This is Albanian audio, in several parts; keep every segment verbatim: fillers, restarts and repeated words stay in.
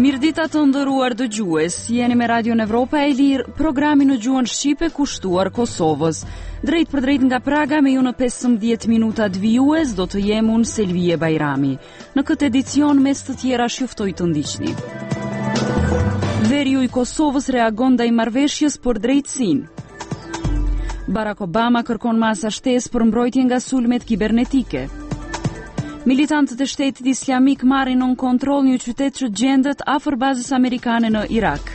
Mirëdita të nderuar dëgjues, jeni me Radion Evropa e Lirë, programi në gjuhën shqipe kushtuar Kosovës. Drejtpërdrejt nga Praga me ju në pesëmbëdhjetë minutat vijues do të jem unë Selvije Bajrami. Në këtë edicion mes të tjerash ju ftoj të ndiqni. Veriu i Kosovës reagon ndaj marrëveshjes për drejtësinë. Barack Obama kërkon masa shtesë për mbrojtje nga sulmet kibernetike. Militantët e Shtetit Islamik marrin nën kontroll një qytet që gjendet afër bazës amerikane në Irak.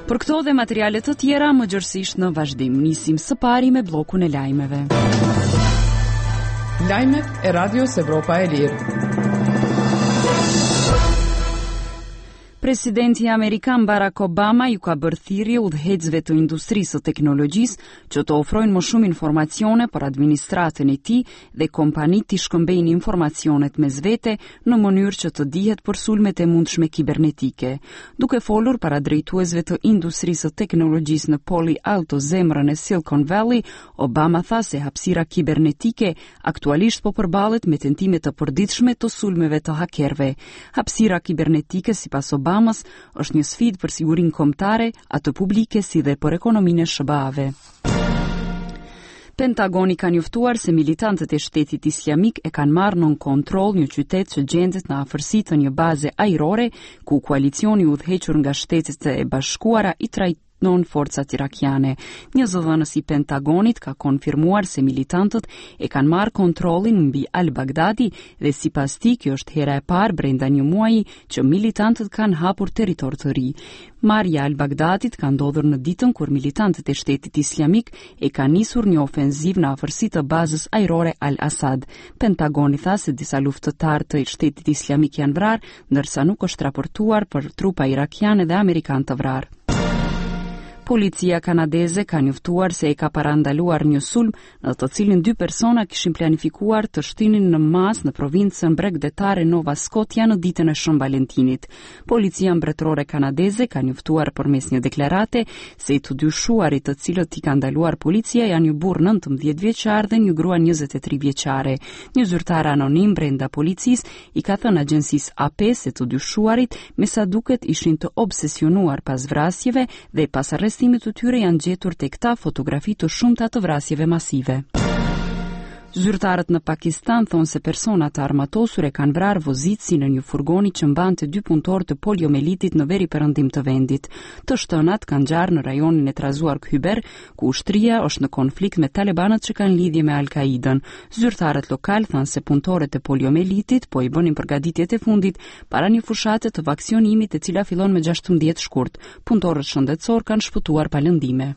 Për këto dhe materiale të tjera më gjerësisht në vazhdim. Nisim së pari me bllokun e lajmeve. Lajmet e Radios Evropa e Lirë. Presidenti amerikan Barack Obama ju ka bërë thirrje udhëheqësve të industrisë së teknologjisë që të ofrojnë më shumë informacione për administratën e tij dhe kompanitë t'i shkëmbejnë informacionet mes vete në mënyrë që të dihet për sulmet e mundshme kibernetike. Duke folur para drejtuesve të industrisë së teknologjisë në Palo Alto, zemrën e Silicon Valley, Obama tha se hapësira kibernetike aktualisht po përballet me tentime të përditshme të sulmeve të hakerëve. Hapësira kibernetike, sipas Obama, Obamës, është një sfidë për sigurinë kombëtare, atë publike si dhe për ekonominë e S H B A-ve. Pentagoni ka njoftuar se militantët e Shtetit Islamik e kanë marrë nën kontroll një qytet që gjendet në afërsi të një baze ajrore ku koalicioni i udhëhequr nga Shtetet e Bashkuara i trajton forcat irakiane. Një zëdhënës i Pentagonit ka konfirmuar se militantët e kanë marrë kontrollin mbi Al-Baghdadi dhe sipas tij kjo është hera e parë brenda një muaji që militantët kanë hapur territor të ri. Marrja e Al-Baghdadit ka ndodhur në ditën kur militantët e Shtetit Islamik e kanë nisur një ofenzivë në afërsi të bazës ajrore Al-Asad. Pentagoni tha se disa luftëtarë të Shtetit Islamik janë vrarë, ndërsa nuk është raportuar për trupa irakiane dhe amerikanë të vrarë. Policia kanadeze ka njoftuar se e ka parandaluar një sulm në të cilin dy persona kishin planifikuar të shtinin në masë në provincën bregdetare Nova Scotia në ditën e Shën Valentinit. Policia mbretërore kanadeze ka njoftuar përmes një deklarate se të dyshuarit të cilët i ka ndaluar policia janë një burrë nëntëmbëdhjetë vjeçar dhe një grua njëzet e tri vjeçare. Një zyrtar anonim brenda policisë i ka thënë agjencisë A P se të dyshuarit me sa duket ishin të obsesionuar pas vrasjeve dhe pas arrestimit të tyre janë gjetur tek ta fotografi të shumta të vrasjeve masive. Zyrtarët në Pakistan thonë se persona të armatosur e kanë vrarë vozitësin në një furgoni që mbante dy punëtorë të poliomelitit në veri perëndim të vendit. Të shtënat kanë ngjarë në rajonin e trazuar Khyber, ku ushtria është në konflikt me talibanët që kanë lidhje me Al-Qaidën. Zyrtarët lokal thanë se punëtorët e poliomelitit po i bënin përgatitjet e fundit para një fushate të vaksinimit e cila fillon me gjashtëmbëdhjetë shkurt. Punëtorët shëndetësor kanë shpëtuar pa lëndime.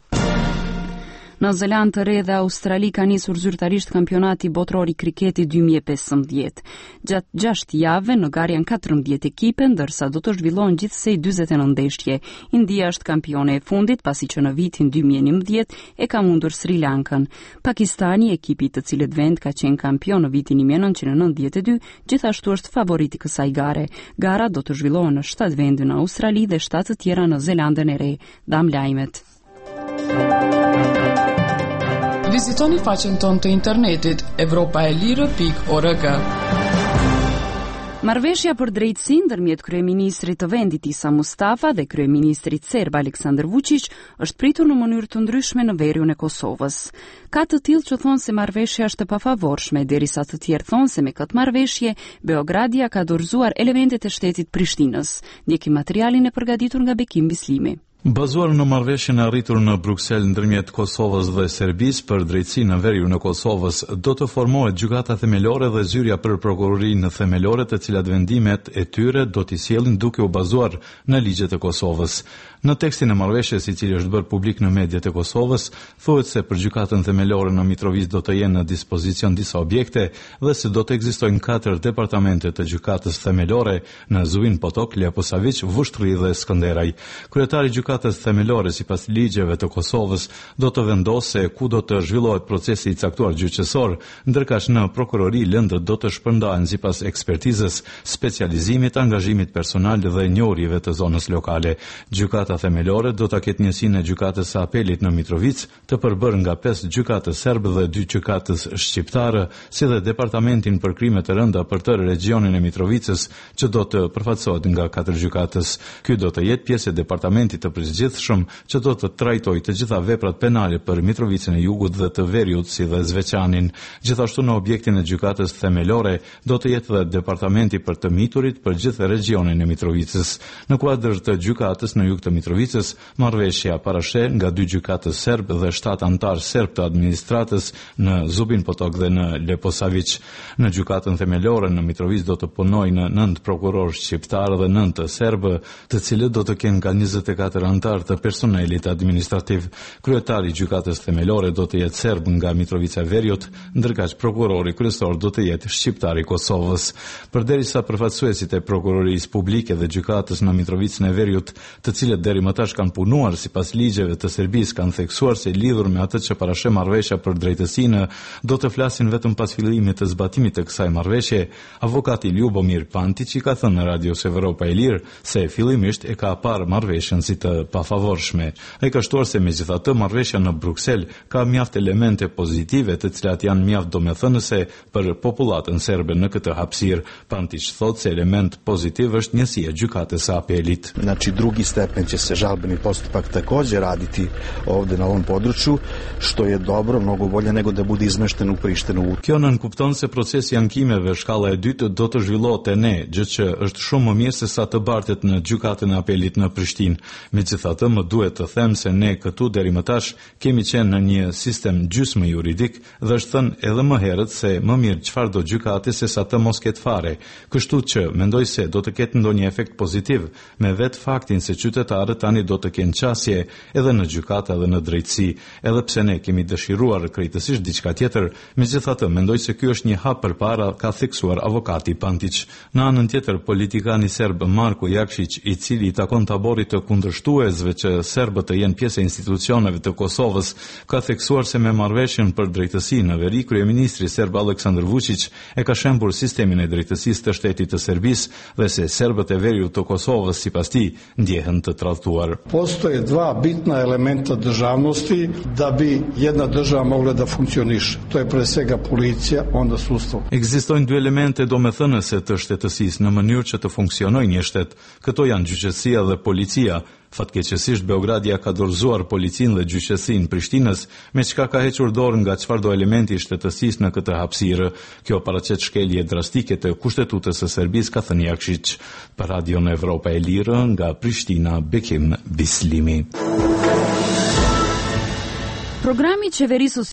Në Zelandë të Re dhe Australi ka nisur zyrtarisht kampionati botëror i kriketit dy mijë e pesëmbëdhjetë. Gjatë gjashtë javëve në garë janë katërmbëdhjetë ekipe, ndërsa do të zhvillohen gjithsej dyzet e nëntë ndeshje. India është kampione e fundit, pasi që në vitin dy mijë e njëmbëdhjetë e ka mundur Sri Lankën. Pakistani, ekipi i të cilët vend ka qenë kampion në vitin një mijë e nëntëqind e nëntëdhjetë e dy, gjithashtu është favorit i kësaj gare. Gara do të zhvillohen në shtatë vende në Australi dhe shtatë të tjera në Zelandën e Re. Dam lajmet. Vizitoni faqen tonë të internetit evropa e lirë pikë org. Marrëveshja për drejtësinë ndërmjet kryeministrit të vendit Isa Mustafa dhe kryeministrit serb Aleksandar Vučić është pritur në mënyrë të ndryshme në veriun e Kosovës. Ka të tillë që thonë se marrëveshja është e pafavorshme, derisa të tjerë thonë se me këtë marrëveshje Beogradia ka dorëzuar elementet e shtetit Prishtinës. Ndjekim materialin e përgatitur nga Bekim Bislimi. Bazuar në marrëveshjen e arritur në Bruksel ndërmjet Kosovës dhe Serbisë për drejtësinë në veriun e Kosovës, do të formohet gjykata themelore dhe zyrja për prokurorinë themelore, të cilat vendimet e tyre do t'i sjellin duke u bazuar në ligjet e Kosovës. Në tekstin e marrëveshjes, i cili është bërë publik në mediat e Kosovës, thuhet se për gjykatën themelore në Mitrovicë do të jenë në dispozicion disa objekte dhe se do të ekzistojnë katër departamente të gjykatës themelore në Zubin Potok, Leposavic, Vushtrri dhe Skënderaj. Kryetari i gjykatës themelore sipas ligjeve të Kosovës do të vendosë se ku do të zhvillohet procesi i caktuar gjyqësor, ndërkaq në prokurori lëndët do të shpërndahen sipas ekspertizës, specializimit, angazhimit personal dhe njohurive të zonës lokale. Gjykata Gjykata Themelore do ta ketë njësinë e Gjykatës së Apelit në Mitrovicë, të përbërë nga pesë gjykatës serbë dhe dy gjykatës shqiptarë, si dhe Departamentin për Krime të Rënda për tërë regjionin e Mitrovicës, që do të përfaqësohet nga katër gjykatës. Ky do të jetë pjesë e departamentit të përgjithshëm që do të trajtojë të gjitha veprat penale për Mitrovicën e Jugut dhe të Veriut, si dhe Zveçanin. Gjithashtu në objektin e Gjykatës Themelore do të jetë dhe Departamenti për të Miturit për gjithë regjionin e Mitrovicës. Në kuadër të gjykatës në jug të Mitrovicës, marrëveshja parasheh nga dy gjykatës serb dhe shtatë anëtar serb të administratës në Zubin Potok dhe në Leposavic. Në Gjykatën Themelore në Mitrovicë do të punojnë nëntë prokurorë shqiptarë dhe nëntë serbë, të cilët do të kenë nga njëzet e katër anëtar të personelit administrativ. Kryetari i Gjykatës Themelore do të jetë serb nga Mitrovica e Veriut, ndërkaq prokurori kryesor do të jetë shqiptar i Kosovës. Përderisa përfaqësuesit e prokurorisë publike dhe gjykatës në Mitrovicën e Veriut, të cilët deri më tash kanë punuar sipas ligjeve të Serbisë, kanë theksuar se lidhur me atë që parasheh marrëveshja për drejtësinë, do të flasin vetëm pas fillimit të zbatimit të kësaj marrëveshje. Avokati Ljubomir Pantić i ka thënë në Radios Evropa e Lirë se fillimisht e ka parë marrëveshjen si të pafavorshme. Ai ka shtuar se megjithatë marrëveshja në Bruksel ka mjaft elemente pozitive, të cilat janë mjaft domethënëse për popullatën serbe në këtë hapësirë. Pantić thotë se element pozitiv është njësia e gjykatës së apelit. Znači, drugi stepen će se žalbeni postupak također raditi ovde na ovom području, što je dobro, mnogo bolje nego da bude izmešten u Prištinu. Kjo nënkupton se procesi i ankimeve shkalla e dytë do të zhvillohet te ne, gjë që është shumë më mirë se sa të bartet në gjykatën e apelit në Prishtinë. Megjithatë, më duhet të them se ne këtu deri më tash kemi qenë në një sistem gjysmë juridik dhe është thënë edhe më herët se më mirë çfarë do gjykate se sa të mos ketë fare. Kështu që mendoj se do të ketë ndonjë efekt pozitiv me vetë faktin se qytetarët tani do të kenë qasje edhe në gjykata edhe në drejtësi, edhe pse ne kemi dëshiruar krejtësisht diçka tjetër. Megjithatë, mendoj se ky është një hap përpara, ka theksuar avokati Pantić. Në anën tjetër, politikani serb Marko Jakshić, i cili i takon taborit të kundërshtuesve që serbët të jenë pjesë e institucioneve të Kosovës, ka theksuar se me marrëveshjen për drejtësi në veri, kryeministri serb Aleksandar Vučić e ka shembur sistemin e drejtësisë të shtetit të Serbisë dhe se serbët e veriut të Kosovës, sipas tij, ndjehen të tradhtuar. Postoje dva bitna elementa državnosti da bi jedna država mogla da funkcioniše. To je pre svega policija, onda sudstvo. Ekzistojnë dy elemente domethënëse të shtetësisë në mënyrë që të funksionojë një shtet. Këto janë gjyqësia dhe policia. Fatkeqësisht Beogradia ka dorëzuar policinë dhe gjyqësinë Prishtinës, me çka ka hequr dorë nga çfarëdo elementi i shtetësisë në këtë hapësirë. Kjo paraqet shkelje drastike të kushtetutës së Serbisë, ka thënë Jakshić. Për Radion Evropa e Lirë nga Prishtina, Bekim Bislimi. Programi i qeverisë